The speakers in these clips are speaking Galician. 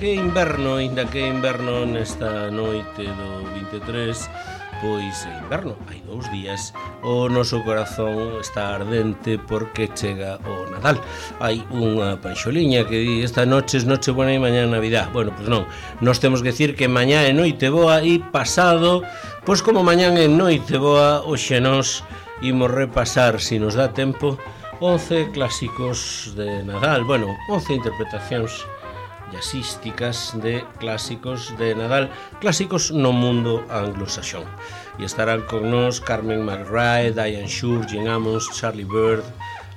que inverno nesta noite do 23, pois é inverno, hai 2 días. O noso corazón está ardente porque chega o Nadal. Hai unha panxoliña que di esta noche es noche buena e mañá Navidad. Bueno, pois non, nós temos que decir que mañá é noite boa e pasado, pois como mañá é noite boa, hoxe nós imos repasar, se nos dá tempo, 11 clásicos de Nadal. Bueno, 11 interpretacións jazzísticas de clásicos de Nadal, clásicos no mundo anglosaxón. E estarán con nós Carmen McRae, Diane Shure, Gene Ammons, Charlie Byrd,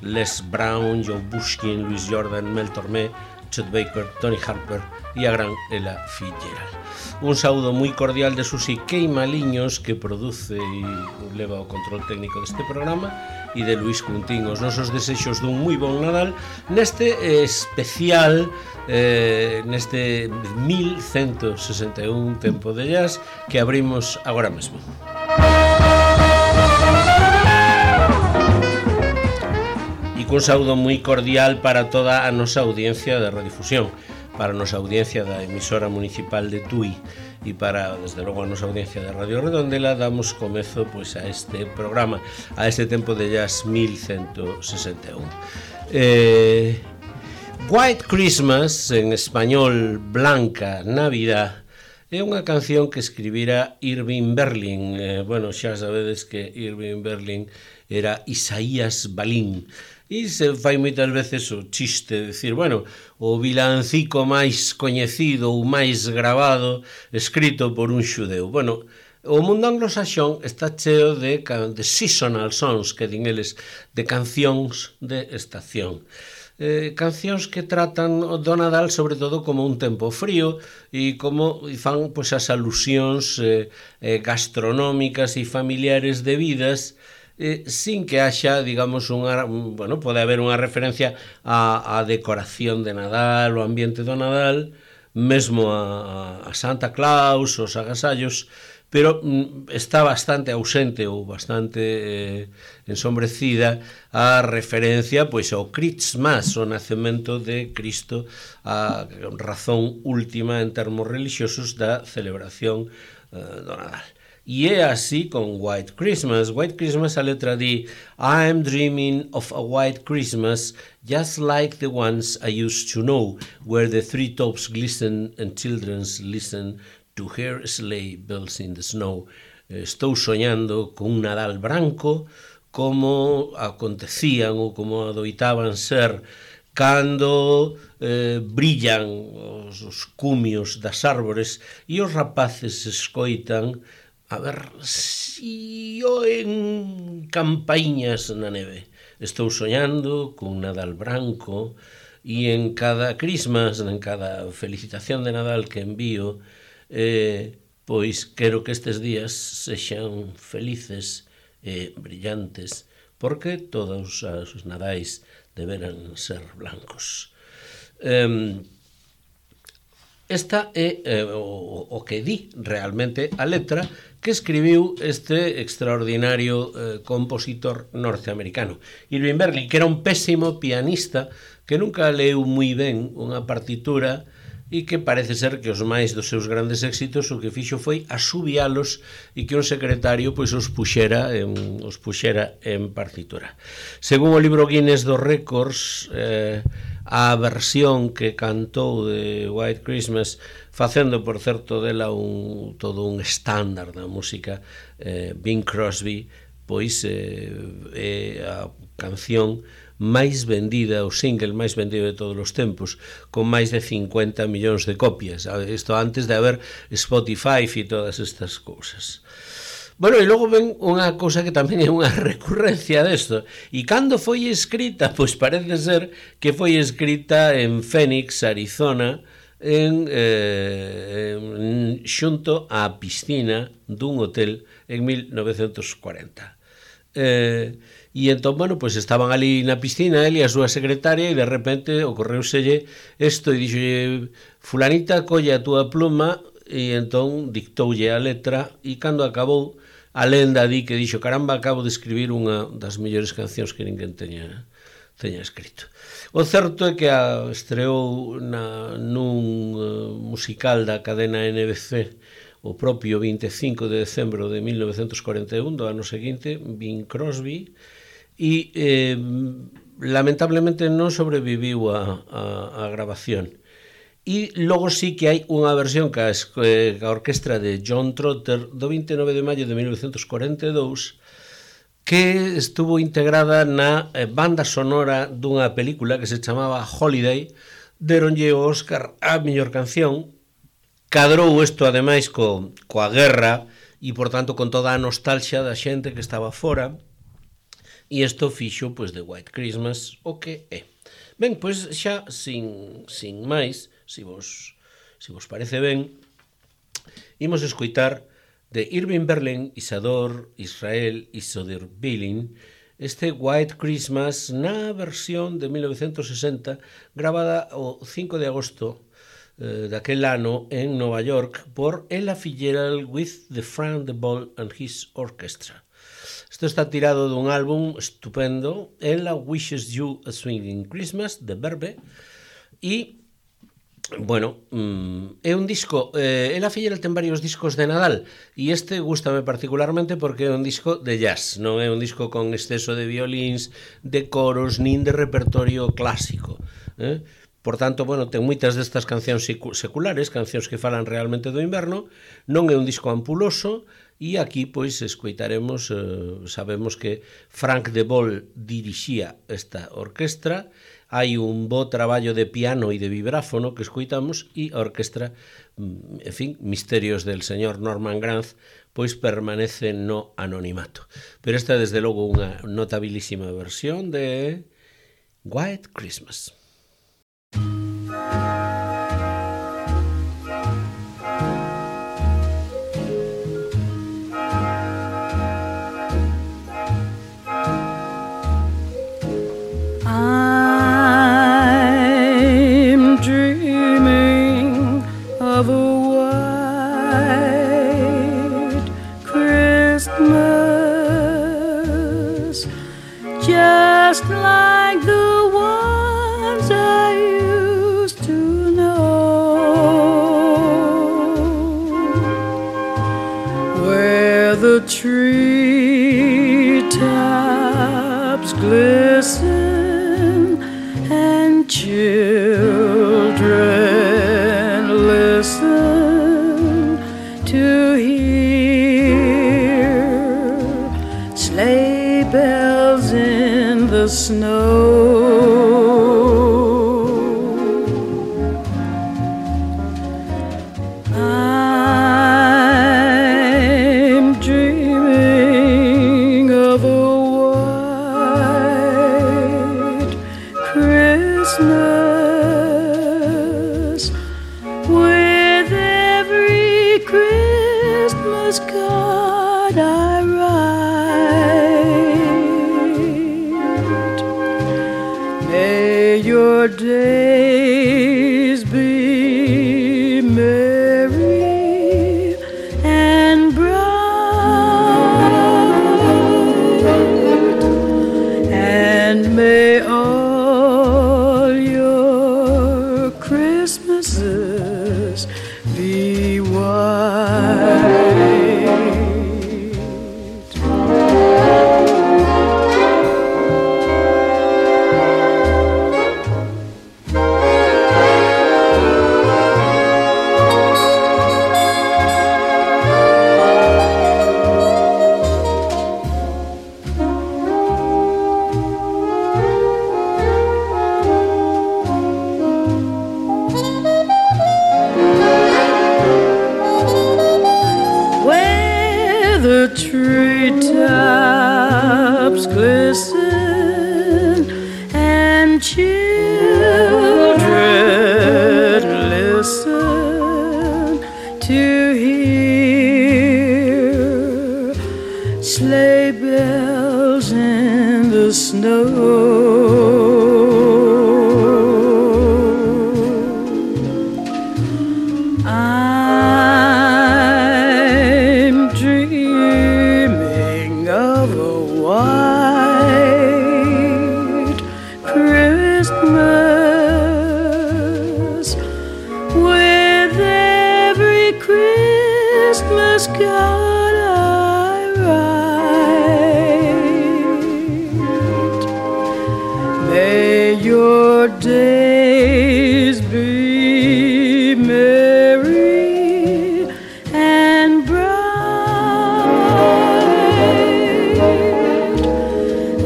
Les Brown, Joe Bushkin, Louis Jordan, Mel Tormé, Chet Baker, Tony Harper e a gran Ella Fitzgerald. Un saúdo moi cordial de Susi Queimaliños, que produce e leva o control técnico deste programa, e de Luis Cuntín. Os nosos desexos dun moi bon Nadal neste especial, neste 1161 tempo de jazz que abrimos agora mesmo. E cun saúdo moi cordial para toda a nosa audiencia de redifusión, para a nosa audiencia da emisora municipal de Tui e para, desde logo, a nosa audiencia de Radio Redondela. Damos comezo pois a este programa, a este tempo de jazz 1161. White Christmas, en español Blanca Navidad, é unha canción que escribira Irving Berlin. Bueno, xa sabedes que Irving Berlin era Isaías Balín, e se fai moitas veces o chiste de decir, bueno, o vilancico máis coñecido ou máis grabado escrito por un xudeu. Bueno, o mundo anglosaxón está cheo de seasonal songs, que din eles, de cancións de estación. Cancións que tratan do Nadal sobre todo como un tempo frío e como fan pois as alusións gastronómicas e familiares debidas, sin que haxa, digamos, bueno, pode haber unha referencia á decoración de Nadal, o ambiente do Nadal, mesmo a Santa Claus, os agasallos, pero está bastante ausente ou bastante ensombrecida a referencia pois ao Christmas, o nacemento de Cristo, a razón última en termos religiosos da celebración do Nadal. E é así con White Christmas. White Christmas, a letra di I'm dreaming of a white Christmas just like the ones I used to know, where the treetops glisten and children's listen to hear sleigh bells in the snow. Estou soñando con un Nadal branco como acontecían ou como adoitaban ser cando brillan os cumios das árbores e os rapaces escoitan a ver si oen campaíñas na neve. Estou soñando con Nadal branco e en cada Christmas, en cada felicitación de Nadal que envío, pois quero que estes días sexan felices e brillantes, porque todos os Nadais deberan ser blancos. Esta é o que di realmente a letra que escribiu este extraordinario compositor norteamericano, Irving Berlin, que era un pésimo pianista que nunca leu moi ben unha partitura e que parece ser que os máis dos seus grandes éxitos o que fixo foi asubialos e que un secretario pois os puxera en partitura. Según o libro Guinness dos Récords, a versión que cantou de White Christmas, facendo, por certo, dela todo un estándar da música, Bing Crosby, pois é a canción máis vendida, o single máis vendido de todos os tempos, con máis de 50 millóns de copias. Isto antes de haber Spotify e todas estas cousas. Bueno, e logo ven unha cousa que tamén é unha recurrencia desto. E cando foi escrita? Pois parece ser que foi escrita en Phoenix, Arizona, xunto á piscina dun hotel en 1940. E entón, bueno, pois estaban ali na piscina ele e a súa secretaria e de repente ocorreuselle isto e dixolle, fulanita, colle a túa pluma, e entón dictoulle a letra e cando acabou a lenda di que dixo, caramba, acabo de escribir unha das mellores cancións que ninguén teña teña escrito. O certo é que estreou nun musical da cadena NBC o propio 25 de decembro de 1941, do ano seguinte, Bing Crosby, e lamentablemente non sobreviviu a grabación. E logo sí que hai unha versión que a orquestra de John Trotter do 29 de maio de 1942 que estuvo integrada na banda sonora dunha película que se chamaba Holiday. Deronlle o Óscar a mellor canción. Cadrou isto ademais coa guerra e por tanto con toda a nostalgia da xente que estaba fora, e isto fixo pois de White Christmas o que é. Ben, pois xa sin máis, se vos parece ben, imos escoitar de Irving Berlin, Isadore Israel Isodir-Billin, este White Christmas na versión de 1960 grabada o 5 de agosto daquel ano en Nova York por Ella Fitzgerald with the Frank de Vol and his Orchestra. Isto está tirado dun álbum estupendo, Ella Wishes You a Swinging Christmas, de Verve, e, bueno, é un disco, Ella Fitzgerald ten varios discos de Nadal, e este gústame particularmente porque é un disco de jazz, non é un disco con exceso de violíns, de coros, nin de repertorio clásico, Por tanto, bueno, ten moitas destas cancións seculares, cancións que falan realmente do inverno, non é un disco ampuloso, e aquí, pois, escoitaremos, sabemos que Frank de Vol dirixía esta orquestra, hai un bo traballo de piano e de vibráfono que escoitamos, e a orquestra, en fin, misterios del señor Norman Granz, pois permanece no anonimato. Pero esta é, desde logo, unha notabilísima versión de White Christmas. I'm dreaming of a white Christmas, just like the ones I used to know, where the treetops glisten and children listen to hear sleigh bells in the snow. I'm dreaming of a white Christmas, with every Christmas card I write. May your days be merry and bright, and may all your Christmases be white. Where the treetops glisten and children listen to hear sleigh bells in the snow. I'm dreaming of a white your days be merry and bright,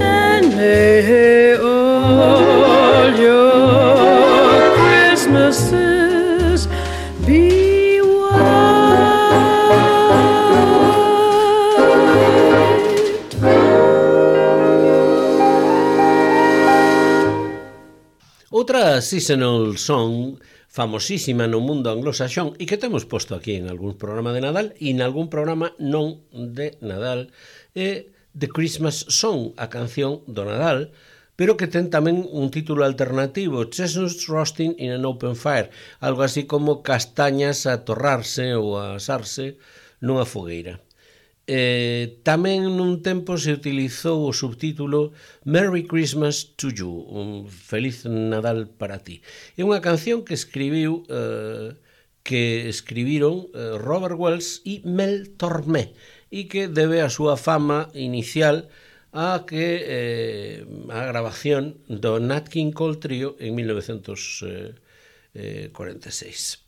and may all your Christmases be white. Outra seasonal song famosísima no mundo anglosaxón e que temos posto aquí en algún programa de Nadal e en algún programa non de Nadal é The Christmas Song, a canción do Nadal, pero que ten tamén un título alternativo, Chestnuts Roasting in an Open Fire, algo así como castañas a torrarse ou a asarse nunha fogueira. Tamén nun tempo se utilizou o subtítulo Merry Christmas to You, un feliz Nadal para ti. É unha canción que escribiron Robert Wells e Mel Tormé e que debe a súa fama inicial a grabación do Nat King Cole Trio en 1946.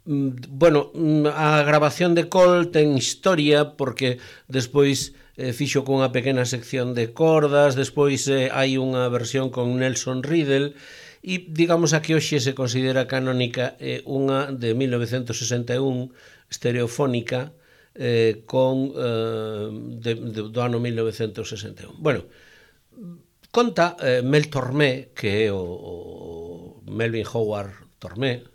Bueno, a grabación de Cole ten historia porque despois fixo cunha pequena sección de cordas, despois hai unha versión con Nelson Riddle e digamos a que hoxe se considera canónica unha de 1961 estereofónica do ano 1961. Bueno, conta Mel Tormé, que é o Melvin Howard Tormé,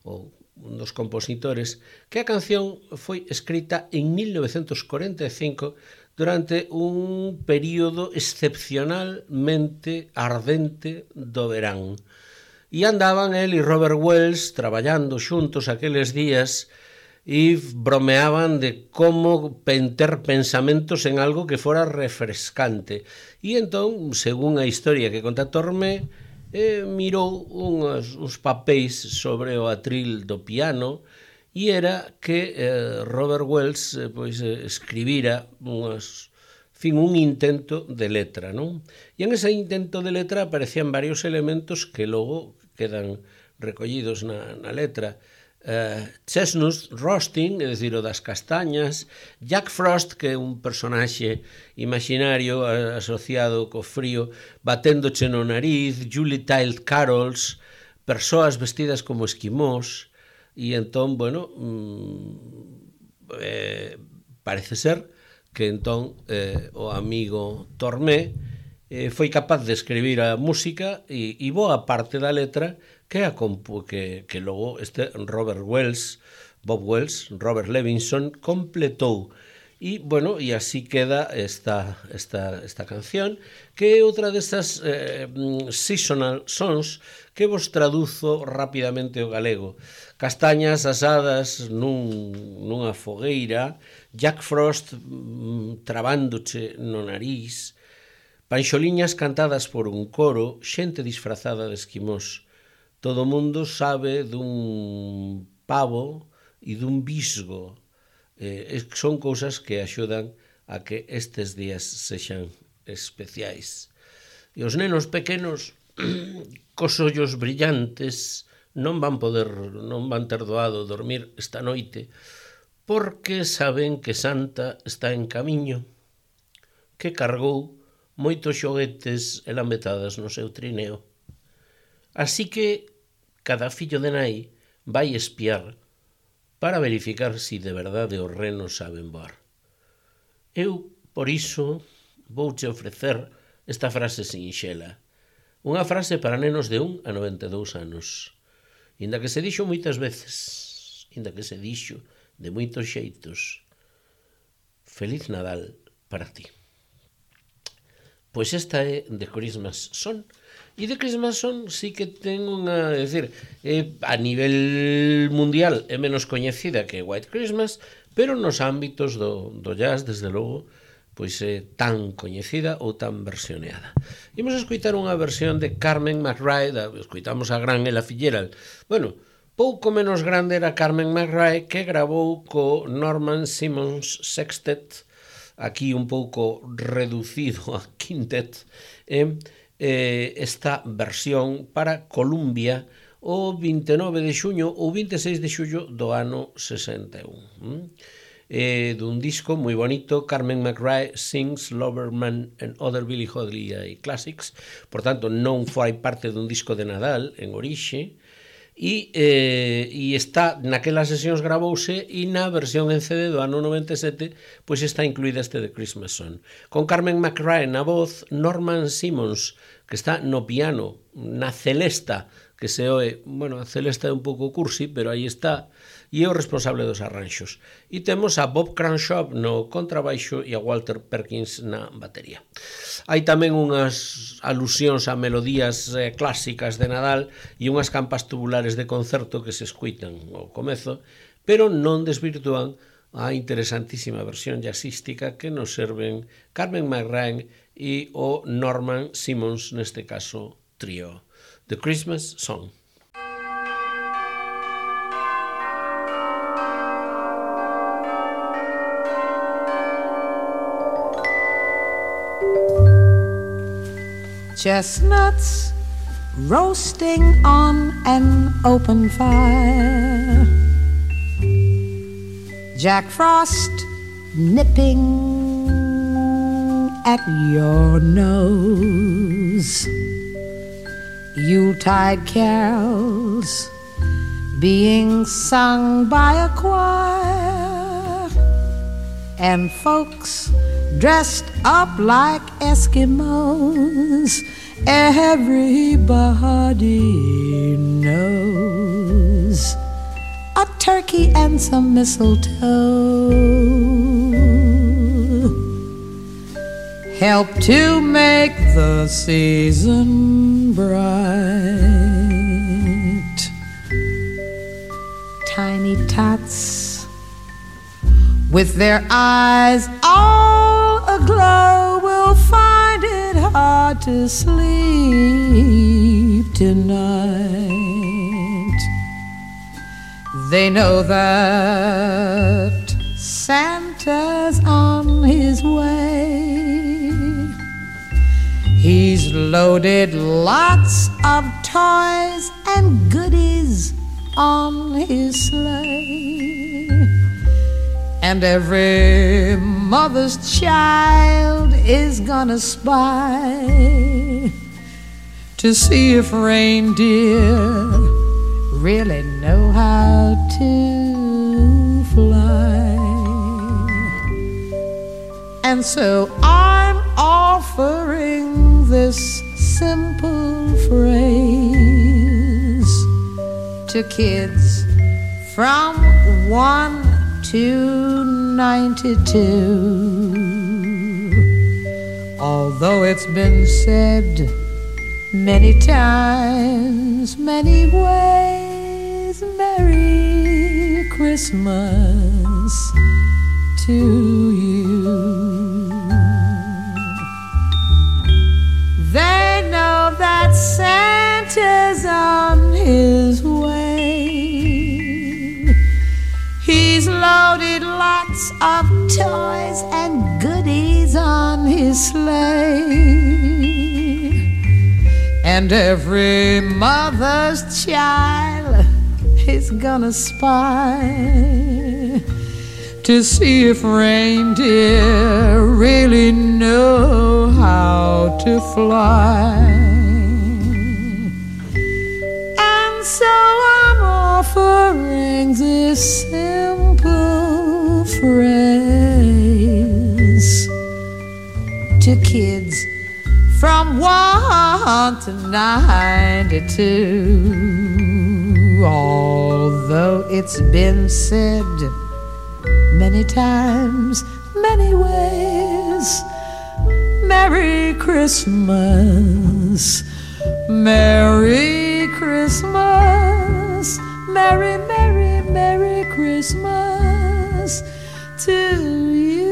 o un dos compositores, que a canción foi escrita en 1945 durante un período excepcionalmente ardente do verán. E andaban el e Robert Wells traballando xuntos aqueles días e bromeaban de como ter pensamentos en algo que fora refrescante. E entón, según a historia que conta Tormé, mirou uns papéis sobre o atril do piano e era que Robert Wells escribira un intento de letra, non? E en ese intento de letra aparecían varios elementos que logo quedan recollidos na letra. Chestnuts Roasting, é dicir, o das castañas, Jack Frost, que é un personaxe imaginario asociado co frío, baténdoche no nariz, Yuletide Carols, persoas vestidas como esquimós, e entón, bueno, parece ser que entón o amigo Tormé foi capaz de escribir a música e boa parte da letra que logo este Robert Wells, Bob Wells, Robert Levinson completou. E, bueno, e así queda esta canción, que é outra destas seasonal songs que vos traduzo rapidamente ao galego. Castañas asadas nunha fogueira, Jack Frost trabándoche no nariz, panxoliñas cantadas por un coro, xente disfrazada de esquimós. Todo o mundo sabe dun pavo e dun bisgo. Son cousas que axudan a que estes días sexan especiais. E os nenos pequenos cos ollos brillantes non van ter doado dormir esta noite porque saben que Santa está en camiño, que cargou moitos xoguetes e lambetadas no seu trineo. Así que cada fillo de nai vai espiar para verificar si de verdade os renos saben voar. Eu, por iso, vouche ofrecer esta frase sinxela. Unha frase para nenos de 1 a 92 anos. Inda que se dixo moitas veces, inda que se dixo de moitos xeitos, Feliz Nadal para ti. Pois esta é The Christmas Song. E The Christmas Song sí que ten unha... É dicir, a nivel mundial é menos coñecida que White Christmas, pero nos ámbitos do jazz, desde logo, pois é tan coñecida ou tan versioneada. Imos a escoitar unha versión de Carmen McRae, escoitamos a gran Ella Fitzgerald. Bueno, pouco menos grande era Carmen McRae, que gravou co Norman Simmons Sextet, aquí un pouco reducido a quintet, esta versión para Columbia o 29 de xuño ou 26 de xullo do ano 61. Dun disco moi bonito, Carmen McRae Sings Loverman and Other Billie Holiday Classics, por tanto non fai parte dun disco de Nadal en orixe, e está naquelas sesións gravouse e na versión en CD do ano 97 pois está incluída este de Christmas Song, con Carmen McRae na voz, Norman Simmons que está no piano, na celesta que se oe, bueno, a celesta é un pouco cursi, pero aí está, e é o responsable dos arranxos. E temos a Bob Cranshaw no contrabaixo e a Walter Perkins na batería. Hai tamén unhas alusións a melodías clásicas de Nadal e unhas campas tubulares de concerto que se escuitan ao comezo, pero non desvirtúan a interesantísima versión jazzística que nos serven Carmen McRae e o Norman Simmons, neste caso, trío. The Christmas Song. Chestnuts roasting on an open fire, Jack Frost nipping at your nose, Yuletide carols being sung by a choir, and folks dressed up like Eskimos. Everybody knows a turkey and some mistletoe help to make the season bright. Tiny tots with their eyes all aglow will find it hard to sleep tonight. They know that Santa's on his way. He's loaded lots of toys and goodies on his sleigh, and every mother's child is gonna spy to see if reindeer really know how to fly. And so I'm offering this simple phrase to kids from 1 to 92. Although it's been said many times, many ways, Merry Christmas to you. They know that Santa's on his way. He's loaded lots of toys and goodies on his sleigh, and every mother's child is gonna spy to see if reindeer really know how to fly. And so I'm offering this simple phrase to kids from 1 to 92. Although it's been said many times, many ways, Merry Christmas, Merry Christmas, Merry, Merry, Merry Christmas to you.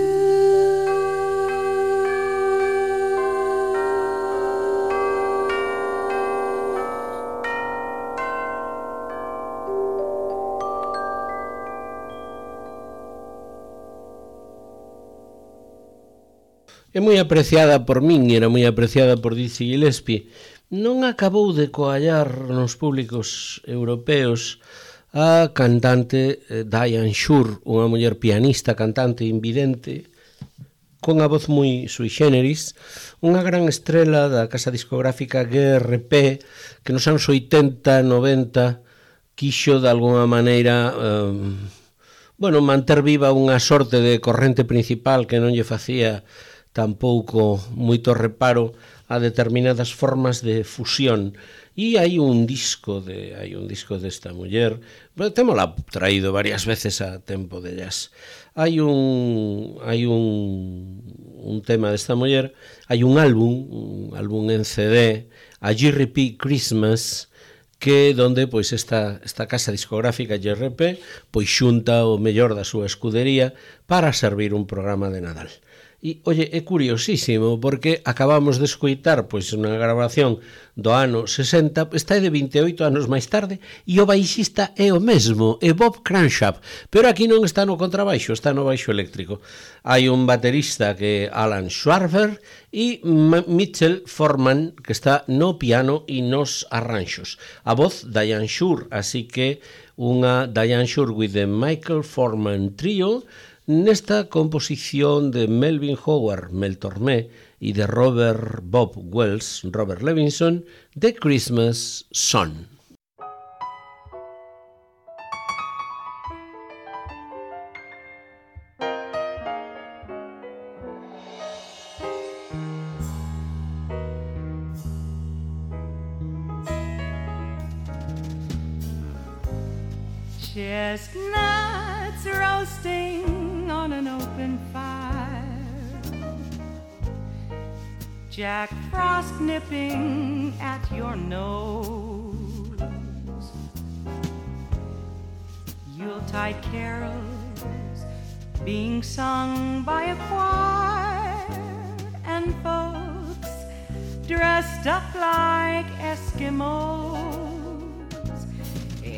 é moi apreciada por min, era moi apreciada por Dizzy Gillespie. Non acabou de coallar nos públicos europeos a cantante Diane Shure, unha muller pianista, cantante, invidente, con a voz moi sui generis, unha gran estrela da casa discográfica GRP, que nos anos 80, 90 quixo de alguna maneira manter viva unha sorte de corrente principal que non lle facía tampouco moito reparo a determinadas formas de fusión. E hai un disco desta muller, témola traído varias veces a Tempo de Jazz. Hai un tema desta muller, hai un álbum en CD, a GRP Christmas, que donde pois esta casa discográfica GRP pois xunta o mellor da súa escudería para servir un programa de Nadal. E, oye, é curiosísimo porque acabamos de escoitar pois unha grabación do ano 60, está de 28 anos máis tarde, e o baixista é o mesmo, é Bob Cranshaw, pero aquí non está no contrabaixo, está no baixo eléctrico. Hai un baterista que é Alan Schwarber e Mitchell Foreman, que está no piano e nos arranxos. A voz Diane Shure, así que unha Diane Shure with the Michael Foreman Trio, nesta composición de Melvin Howard, Mel Tormé, e de Robert Bob Wells, Robert Levinson, The Christmas Song. Chestnuts roasting on an open fire, Jack Frost nipping at your nose, Yuletide carols being sung by a choir, and folks dressed up like Eskimos.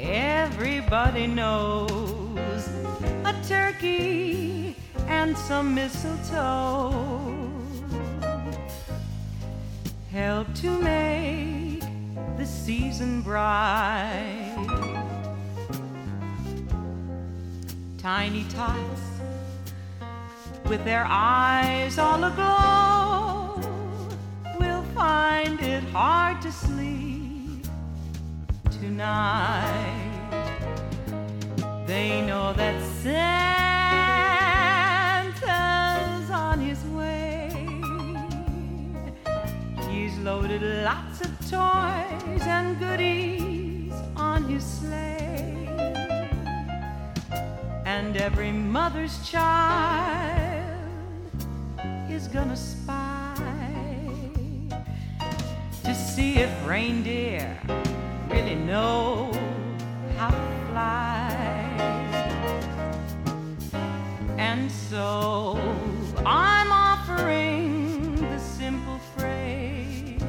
Everybody knows a turkey and some mistletoe help to make the season bright. Tiny tots with their eyes all aglow will find it hard to sleep tonight. They know that Santa's on his way. He's loaded lots of toys and goodies on his sleigh, and every mother's child is gonna spy to see if reindeer really know how to fly. And so I'm offering the simple phrase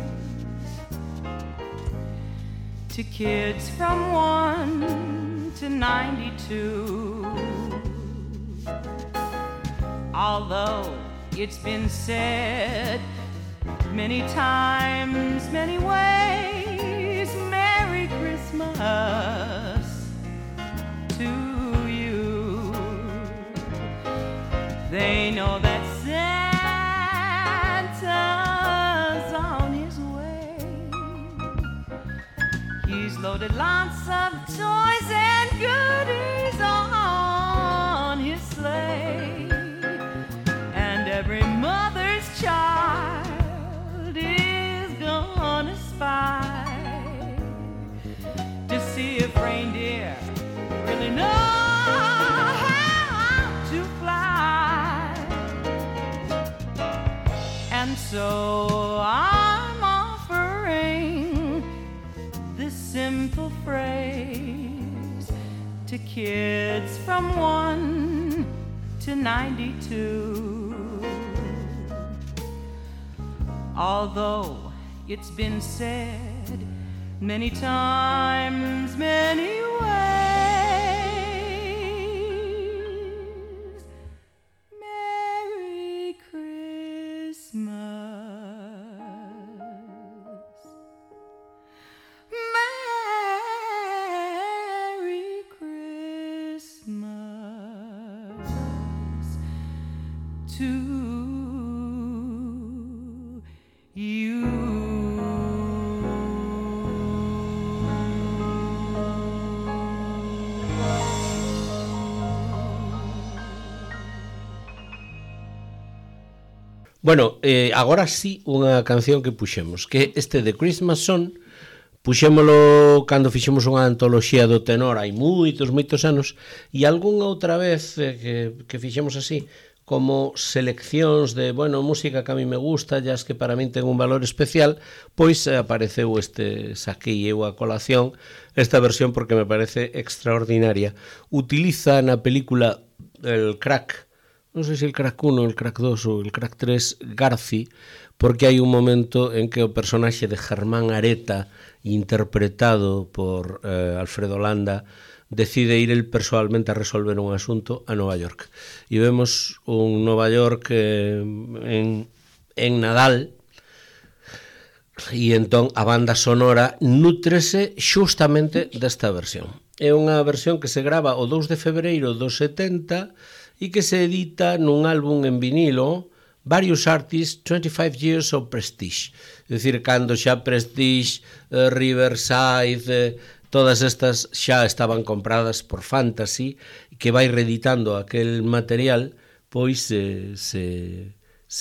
to kids from 1 to 92. Although it's been said many times, many ways, Merry Christmas to you. They know that Santa's on his way. He's loaded lots of toys and goodies on his sleigh, and every mother's child is gonna spy to see if reindeer really know how to fly. And so I'm offering this simple phrase to kids from 1 to 92. Although it's been said many times, many ways, Merry Christmas to you. Bueno, agora sí unha canción que puxemos, que este de Christmas Song, puxémolo cando fixemos unha antoloxía do tenor hai moitos anos, e algunha outra vez que fixemos así, como seleccións de, bueno, música que a mí me gusta, ya es que para min ten un valor especial, pois apareceu saquei eu a colación, esta versión porque me parece extraordinaria. Utiliza na película el crack, non sei se el crack 1, el crack 2 ou el crack 3, Garci, porque hai un momento en que o personaxe de Germán Areta, interpretado por Alfredo Landa, decide ir el persoalmente a resolver un asunto a Nova York. E vemos un Nova York en Nadal, e entón a banda sonora nútrese xustamente desta versión. É unha versión que se grava o 2 de febreiro do 70 e que se edita nun álbum en vinilo, Various Artists, 25 Years of Prestige. É dicir, cando xa Prestige, Riverside, todas estas xa estaban compradas por Fantasy, que vai reeditando aquel material, pois se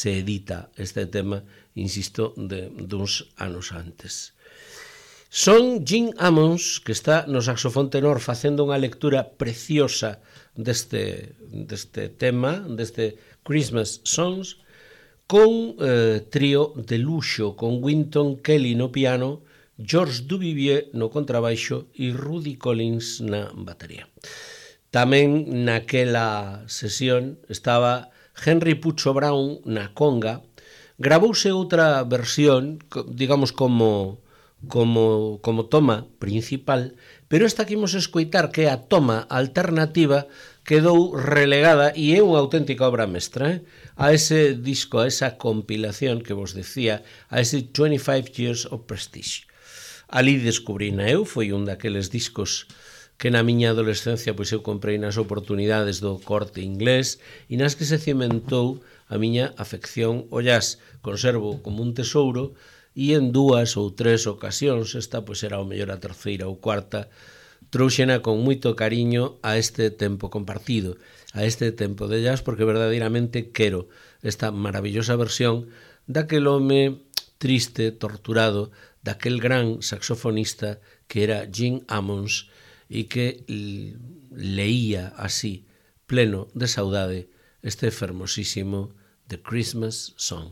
edita este tema, insisto, duns anos antes. Son Gene Ammons, que está no saxofón tenor facendo unha lectura preciosa deste tema, deste Christmas Songs, con trío de luxo, con Wynton Kelly no piano, George Duvivier no contrabaixo e Rudy Collins na batería. Tamén naquela sesión estaba Henry Pucho Brown na conga. Gravouse outra versión, digamos como toma principal, pero esta que imos escoitar, que é a toma alternativa, quedou relegada e é unha auténtica obra mestra, a ese disco, a esa compilación que vos decía, a ese 25 Years of Prestige. Ali descubrina eu, foi un daqueles discos que na miña adolescencia pois eu comprei nas oportunidades do Corte Inglés e nas que se cimentou a miña afección ao jazz. Conservo como un tesouro e en 2 ou 3 ocasións, esta pois era o mellor a terceira ou cuarta, trouxena con moito cariño a este tempo compartido, a este tempo de jazz, porque verdadeiramente quero esta maravillosa versión daquel home triste, torturado, daquel gran saxofonista que era Gene Ammons e que leía así, pleno de saudade, este fermosísimo The Christmas Song.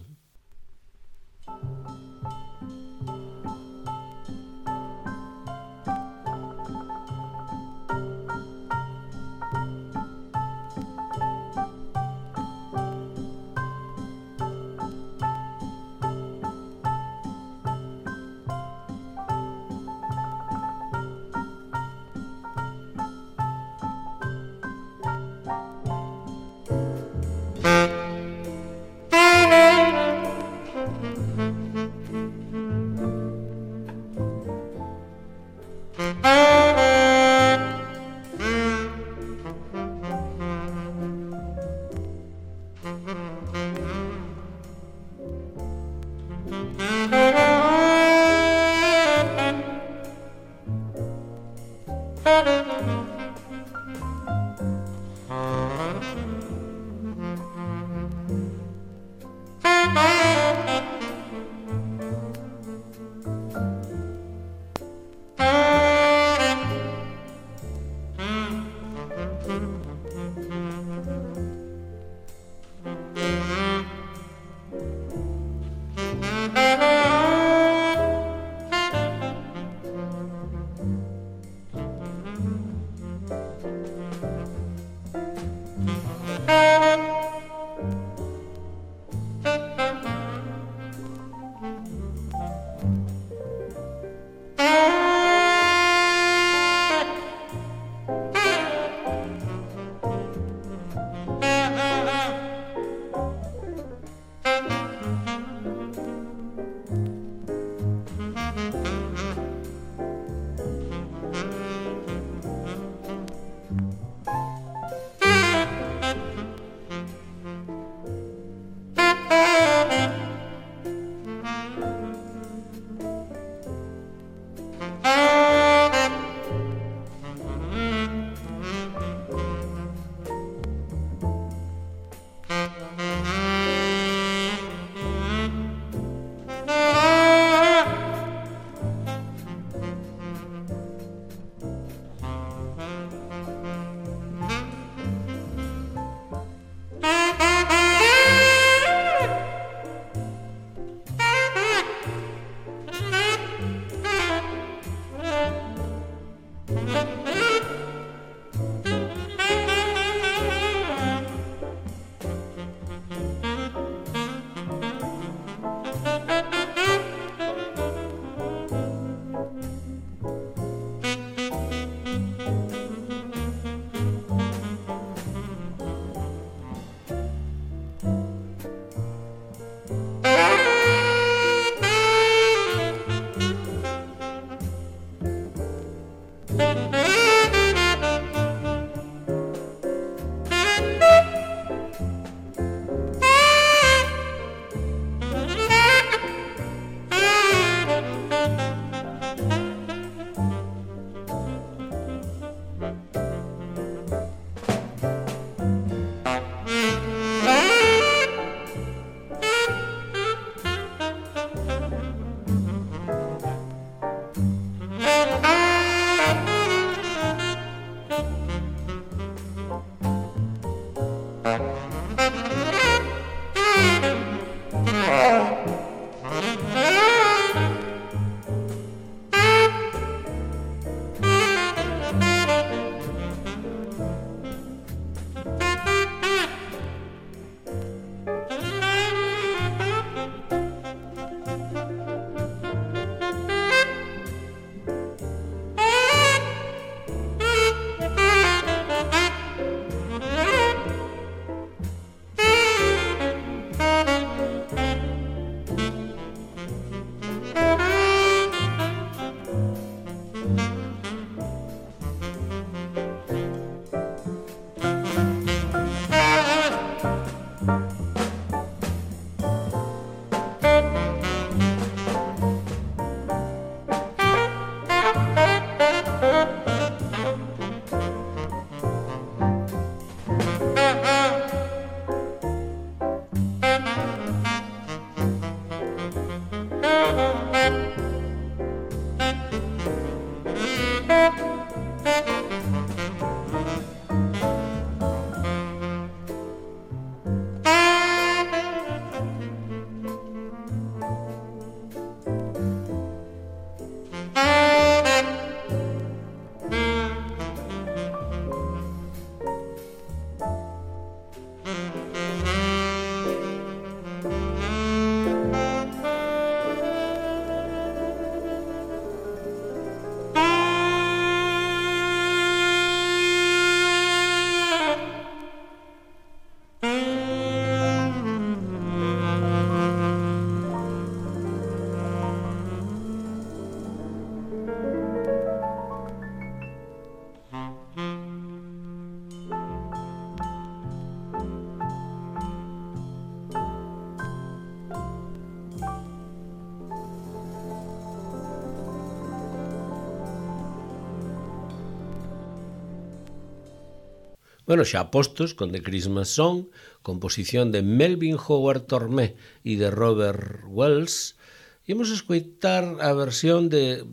Bueno, xa postos con The Christmas Song, composición de Melvin Howard Tormé e de Robert Wells, e imos escoitar a versión de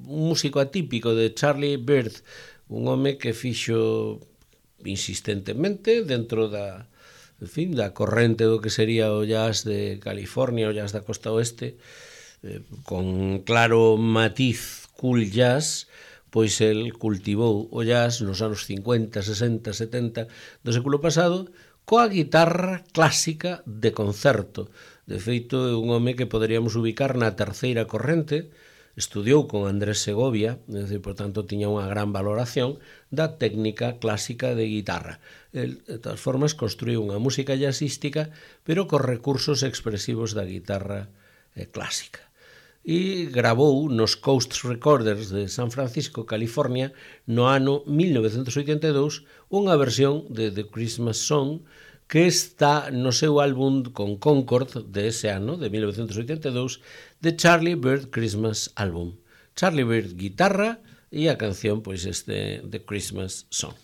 un músico atípico de Charlie Byrd, un home que fixo insistentemente dentro da, en fin, da corrente do que sería o jazz de California, o jazz da costa oeste, con claro matiz cool jazz, pois el cultivou o jazz nos anos 50, 60, 70 do século pasado coa guitarra clásica de concerto. De feito, é un home que poderíamos ubicar na terceira corrente, estudiou con Andrés Segovia, por tanto, tiña unha gran valoración da técnica clásica de guitarra. El, de todas formas, construiu unha música jazzística, pero cos recursos expresivos da guitarra clásica. E gravou nos Coast Recorders de San Francisco, California, no ano 1982, unha versión de The Christmas Song que está no seu álbum con Concord de ese ano, de 1982, de Charlie Byrd Christmas Album. Charlie Byrd guitarra e a canción, pois, The Christmas Song.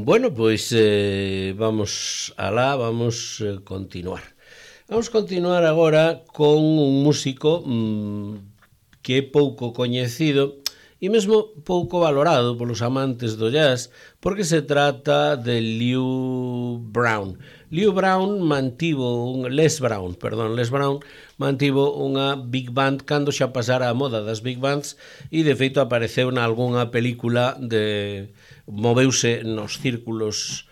Bueno, pois vamos alá, vamos continuar. Vamos continuar agora con un músico que é pouco coñecido e mesmo pouco valorado polos amantes do jazz, porque se trata de Les Brown. Les Brown mantivo unha big band cando xa pasara a moda das big bands e de feito apareceu na algunha película moveuse nos círculos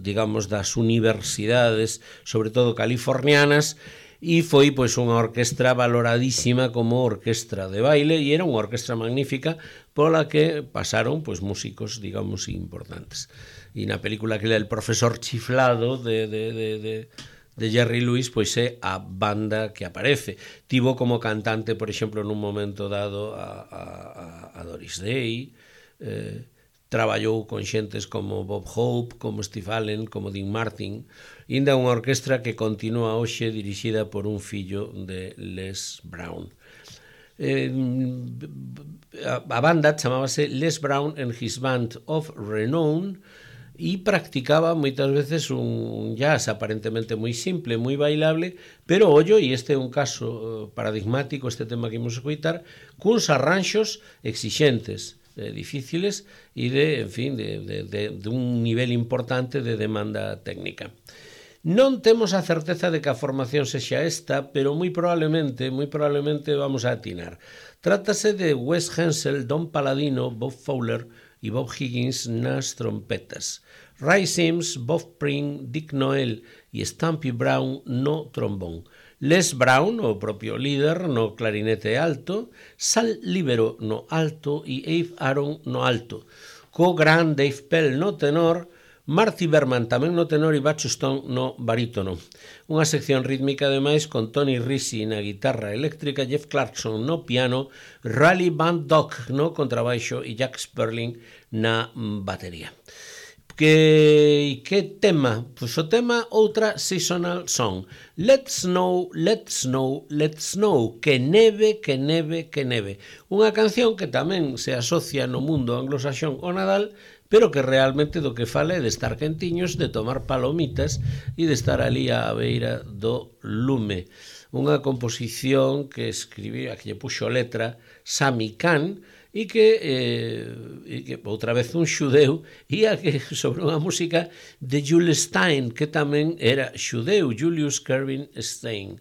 digamos das universidades, sobre todo californianas, e foi pois unha orquestra valoradísima como orquestra de baile e era unha orquestra magnífica pola que pasaron pois músicos, digamos, importantes. E na película que é El profesor chiflado de Jerry Lewis, pois é a banda que aparece. Tivo como cantante, por exemplo, nun momento dado a Doris Day, traballou con xentes como Bob Hope, como Steve Allen, como Dean Martin, inda unha orquestra que continúa hoxe dirixida por un fillo de Les Brown. A banda chamábase Les Brown and His Band of Renown e practicaba moitas veces un jazz aparentemente moi simple, moi bailable, pero ollo, e este é un caso paradigmático, este tema que imos escoitar, cuns arranxos exixentes, difíciles e de un nivel importante de demanda técnica. Non temos a certeza de que a formación sexa esta, pero moi probablemente vamos a atinar. Trátase de Wes Hensel, Don Paladino, Bob Fowler e Bob Higgins nas trompetas, Ray Sims, Bob Pring, Dick Noel e Stampy Brown no trombón, Les Brown, o propio líder, no clarinete alto, Sal Libero no alto e Abe Aaron no alto, co gran Dave Pell no tenor, Marty Berman tamén no tenor e Butch Stone no barítono. Unha sección rítmica ademais con Tony Risi na guitarra eléctrica, Jeff Clarkson no piano, Raleigh Van Dock no contrabaixo e Jack Sperling na batería. Que tema? Pois o tema outra seasonal song. Let's snow, let's snow, let's snow. Que neve, que neve, que neve. Unha canción que tamén se asocia no mundo anglosaxón ao Nadal, pero que realmente do que fala é de estar quentiños, de tomar palomitas e de estar ali á beira do lume. Unha composición que escribiu, a que lle puxo letra Sami Khan, e que outra vez un xudeu, e a que sobre unha música de Jules Stein, que tamén era xudeu, Julius Kervin Stein.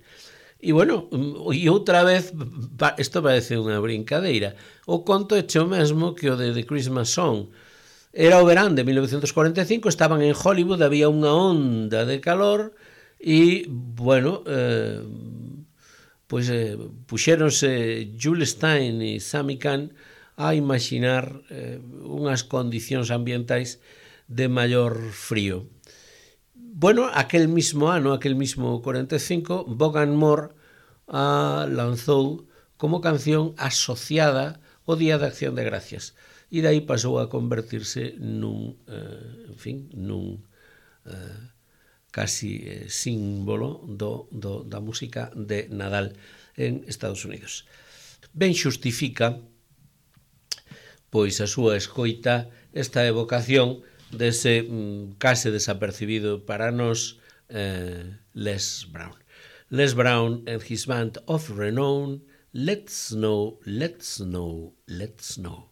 E bueno, e outra vez, isto parece unha brincadeira, o conto é o mesmo que o de The Christmas Song. Era o verán de 1945, estaban en Hollywood, había unha onda de calor e, bueno, puxéronse Jules Stein e Sami Khan a imaginar unhas condicións ambientais de maior frío. Bueno, aquel mismo ano, aquel mismo 45, Vaughan Moore lanzou como canción asociada ao Día de Acción de Gracias. E dai pasou a convertirse nun casi símbolo da música de Nadal en Estados Unidos. Ben xustifica pois a súa escoita esta evocación dese case desapercibido para nós Les Brown. Les Brown and His Band of Renown, Let's Snow, Let's Snow, Let's Snow.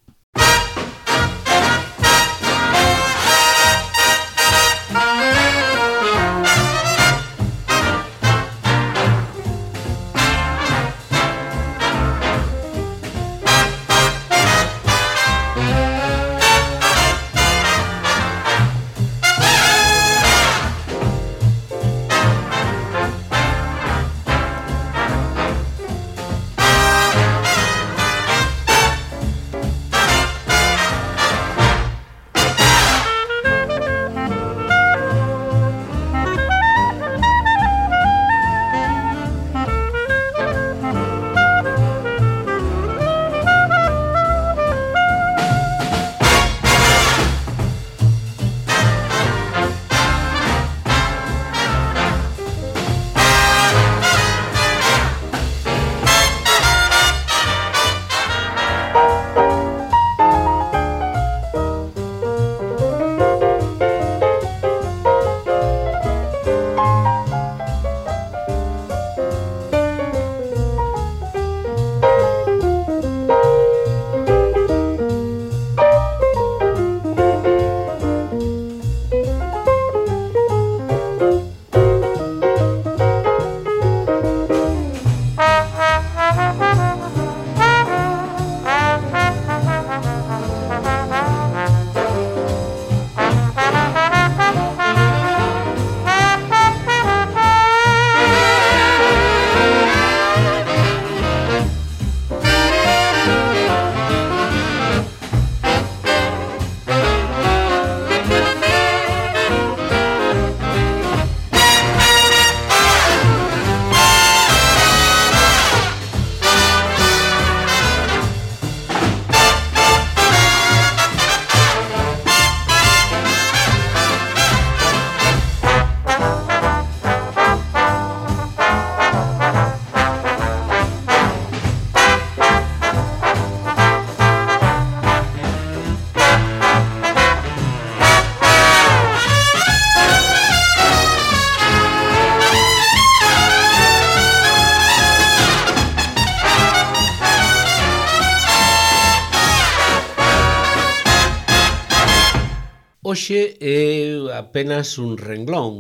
Hoxe é apenas un renglón,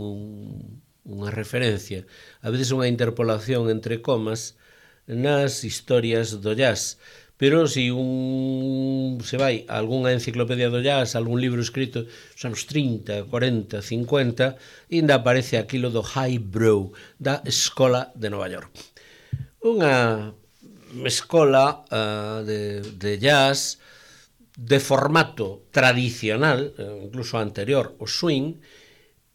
unha referencia, a veces unha interpolación entre comas nas historias do jazz. Pero se se vai a algunha enciclopedia do jazz, algún libro escrito nos anos 30, 40, 50, ainda aparece aquilo do highbrow, da Escola de Nova York. Unha escola de jazz de formato tradicional, incluso anterior ao swing,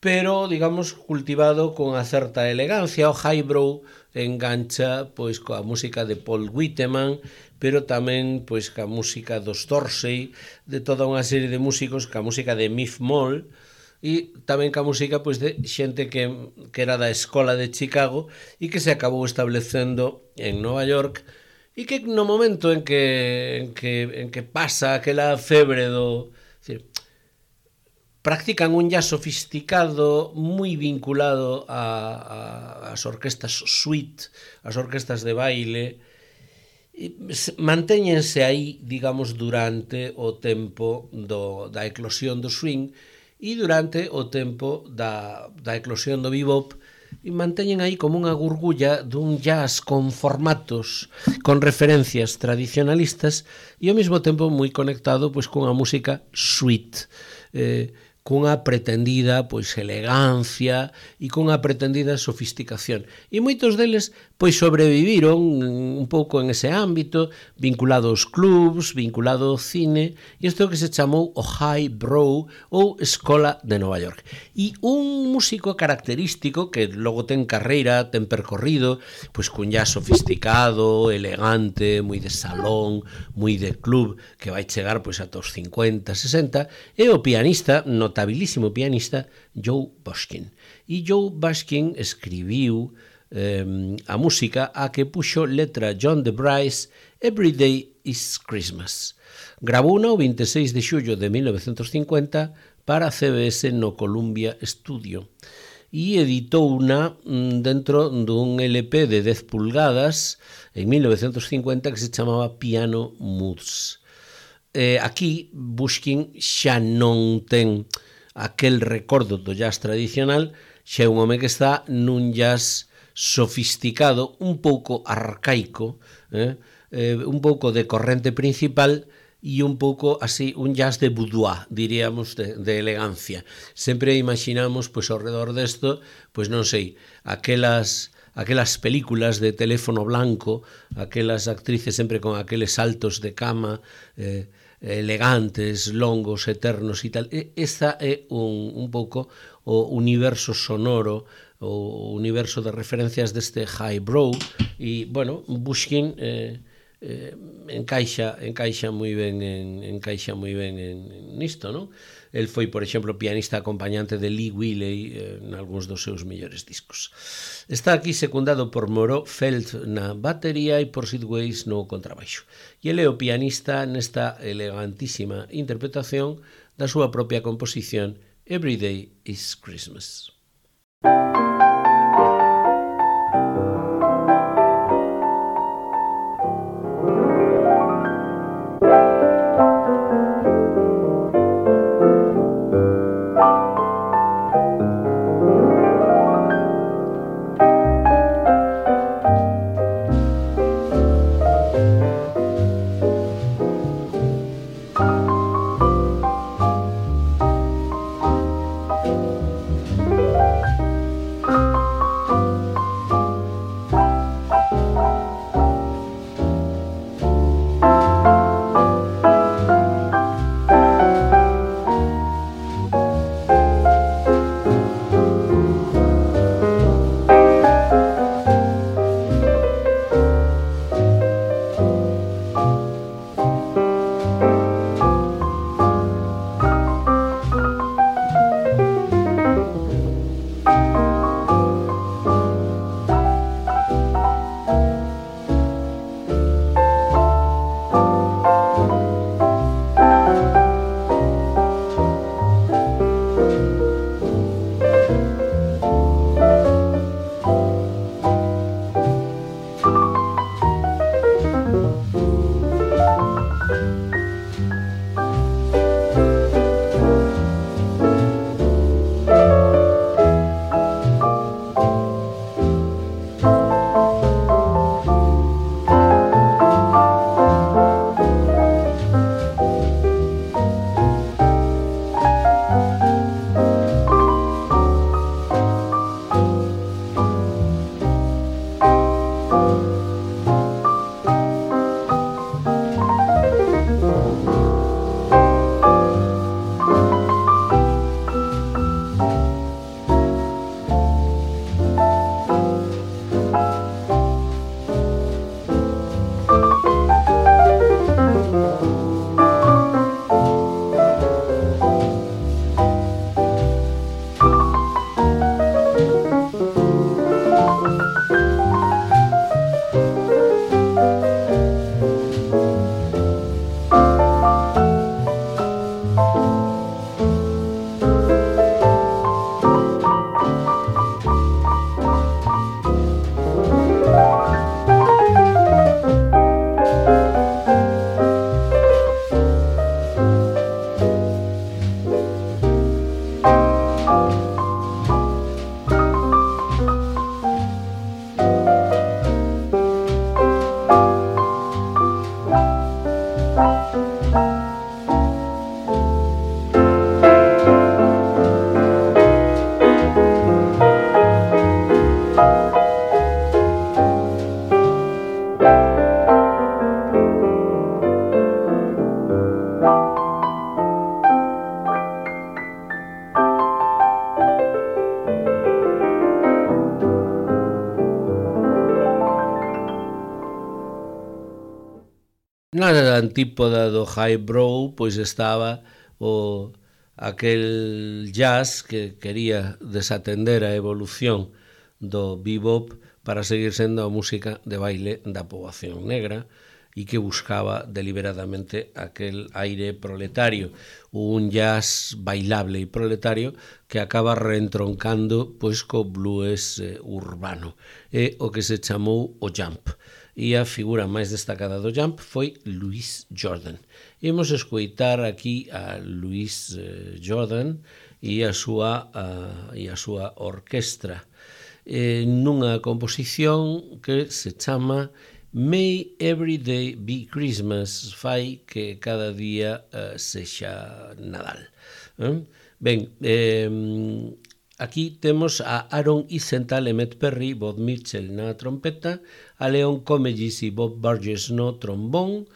pero, digamos, cultivado con a certa elegancia. O highbrow engancha pois coa música de Paul Whiteman, pero tamén pois ca música dos Dorsey, de toda unha serie de músicos, ca música de Miff Moll, e tamén ca música pois de xente que era da escola de Chicago e que se acabou establecendo en Nova York, e que no momento en que pasa aquela febre do... Decir, practican un jazz sofisticado moi vinculado ás orquestas suite, ás orquestas de baile, e mantéñense aí, digamos, durante o tempo da eclosión do swing e durante o tempo da eclosión do bebop, e manteñen aí como unha gurgulla dun jazz con formatos, con referencias tradicionalistas e ao mesmo tempo moi conectado pois cunha música suite, cunha pretendida pois elegancia e cunha pretendida sofisticación. E moitos deles pois sobreviviron un pouco en ese ámbito, vinculado aos clubs, vinculado ao cine, e isto que se chamou o highbrow ou Escola de Nova York. E un músico característico que logo ten carreira, ten percorrido, pois cun jazz sofisticado, elegante, moi de salón, moi de club, que vai chegar pois ata os 50, 60, é o pianista, notabilísimo pianista, Joe Bushkin. E Joe Bushkin escribiu a música a que puxo letra John DeBrice, Every Day is Christmas. Grabouna o 26 de xullo de 1950 para CBS no Columbia Studio e editouna dentro dun LP de 10 pulgadas en 1950 que se chamaba Piano Moods. Aquí Bushkin xa non ten aquel recordo do jazz tradicional, xa é un home que está nun jazz sofisticado, un pouco arcaico, un pouco de corrente principal e un pouco así, un jazz de boudoir, diríamos, de elegancia. Sempre imaginamos, pois, ao redor desto, pois non sei, aquelas películas de teléfono blanco, aquelas actrices sempre con aqueles saltos de cama, elegantes, longos, eternos e tal. Esta é un pouco o universo sonoro, o universo de referencias deste highbrow, e, bueno, Bushkin encaixa moi ben nisto, non? El foi, por exemplo, pianista acompañante de Lee Willey en algúns dos seus mellores discos. Está aquí secundado por Moreau Felt na batería e por Sid Weiss no contrabaixo. E ele é o pianista nesta elegantísima interpretación da súa propia composición Every Day is Christmas. Na antípoda do highbrow pois estaba aquel jazz que quería desatender a evolución do bebop para seguir sendo a música de baile da poboación negra e que buscaba deliberadamente aquel aire proletario, un jazz bailable e proletario que acaba reentroncando pois co blues urbano, e o que se chamou o jump. E a figura máis destacada do jump foi Louis Jordan. Imos escoitar aquí a Louis Jordan e a súa orquestra nunha composición que se chama May Every Day Be Christmas, fai que cada día sexa Nadal. Ben, aquí temos a Aaron Isental e Matt Perry, Bob Mitchell na trompeta, a Leon Comegis e Bob Burgess no trombón,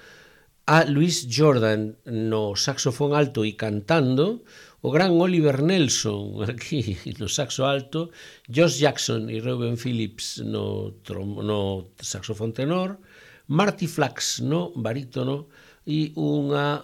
a Louis Jordan no saxofón alto e cantando, o gran Oliver Nelson aquí no saxo alto, Josh Jackson e Reuben Phillips no saxofón tenor, Marty Flax no barítono e unha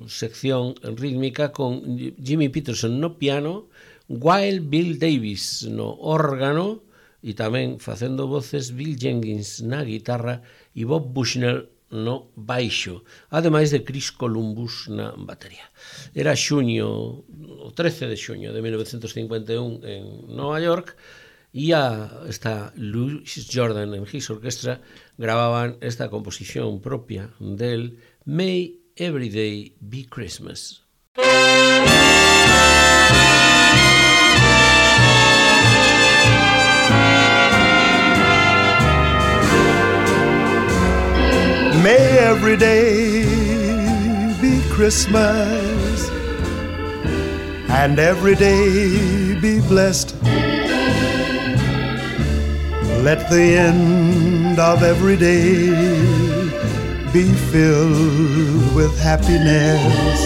sección rítmica con Jimmy Peterson no piano, Wild Bill Davis no órgano e tamén facendo voces Bill Jenkins na guitarra e Bob Bushnell no baixo, ademais de Chris Columbus na batería. Era o 13 de xuño de 1951 en Nova York e esta Louis Jordan en His Orchestra gravaban esta composición propia del May Every Day Be Christmas. May every day be Christmas, and every day be blessed. Let the end of every day be filled with happiness.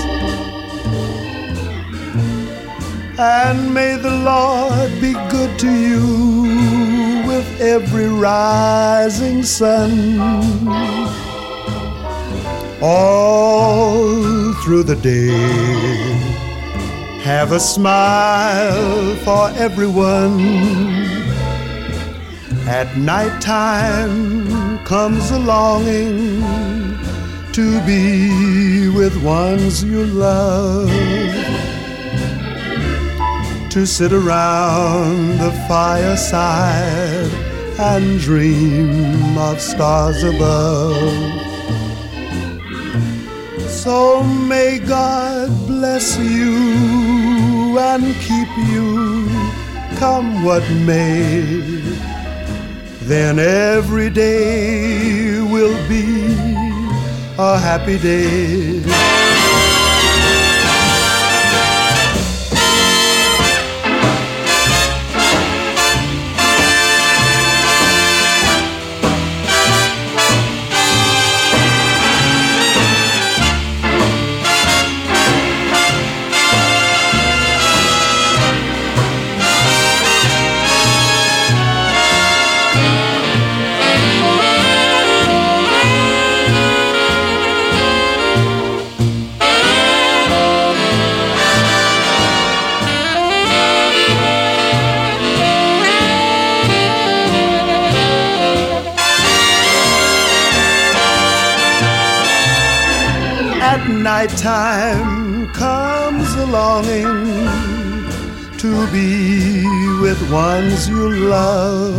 And may the Lord be good to you with every rising sun. All through the day, have a smile for everyone. At night time comes a longing to be with ones you love, to sit around the fireside and dream of stars above. So may God bless you and keep you, come what may. Then every day will be a happy day. Nighttime comes a longing to be with ones you love,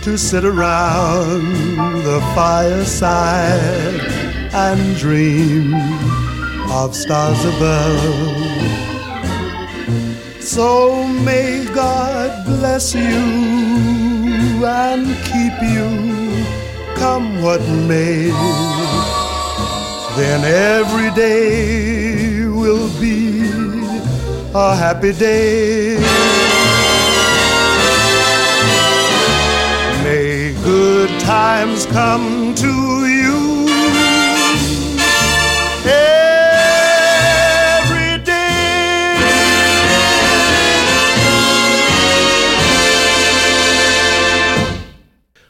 to sit around the fireside and dream of stars above. So may God bless you and keep you, come what may. Then every day will be a happy day. May good times come to you every day.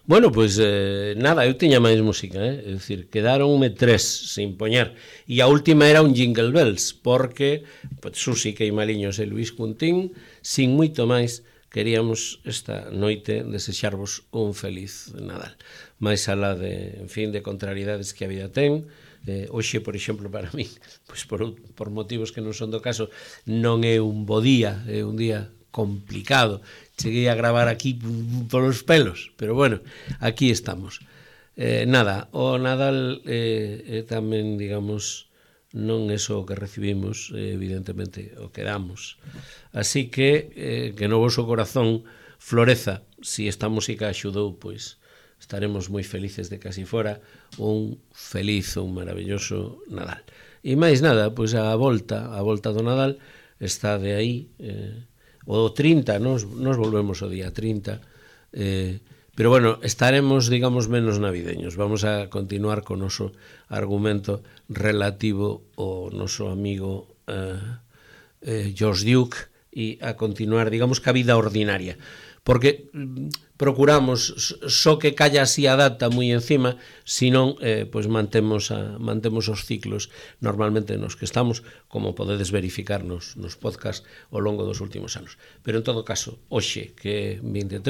Bueno, pois nada, eu tiña máis música, é dicir, quedaronme 3 sin poñer, e a última era un Jingle Bells, porque pois, Susi Queimaliños e Luís Cuntín, sin moito máis, queríamos esta noite desexarvos un feliz Nadal. Mais alá de, en fin, de contrariedades que a vida ten, hoxe, por exemplo, para mí, pois por motivos que non son do caso, non é un bo día, é un día complicado. Cheguei a gravar aquí polos pelos, pero bueno, aquí estamos. Nada, o Nadal tamén, digamos, non é só o que recibimos, evidentemente, o que damos. Así que no voso corazón floreza, si esta música axudou, pois estaremos moi felices de que así fora un feliz, un maravilloso Nadal. E máis nada, pois a volta do Nadal está de aí, o 30, nos volvemos o día 30, pero bueno, estaremos, digamos, menos navideños. Vamos a continuar con o noso argumento relativo ao noso amigo George Duke e a continuar, digamos, ca vida ordinaria. Porque procuramos só que calla así a data moi encima, senón pois mantemos os ciclos normalmente nos que estamos, como podedes verificar nos podcast ao longo dos últimos anos. Pero en todo caso, hoxe, que é 23,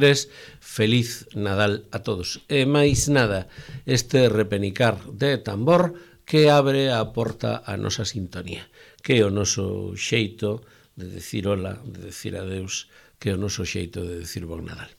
feliz Nadal a todos. E máis nada, este repenicar de tambor que abre a porta a nosa sintonía, que é o noso xeito de decir hola, de decir adeus, que é o noso xeito de decir bon Nadal.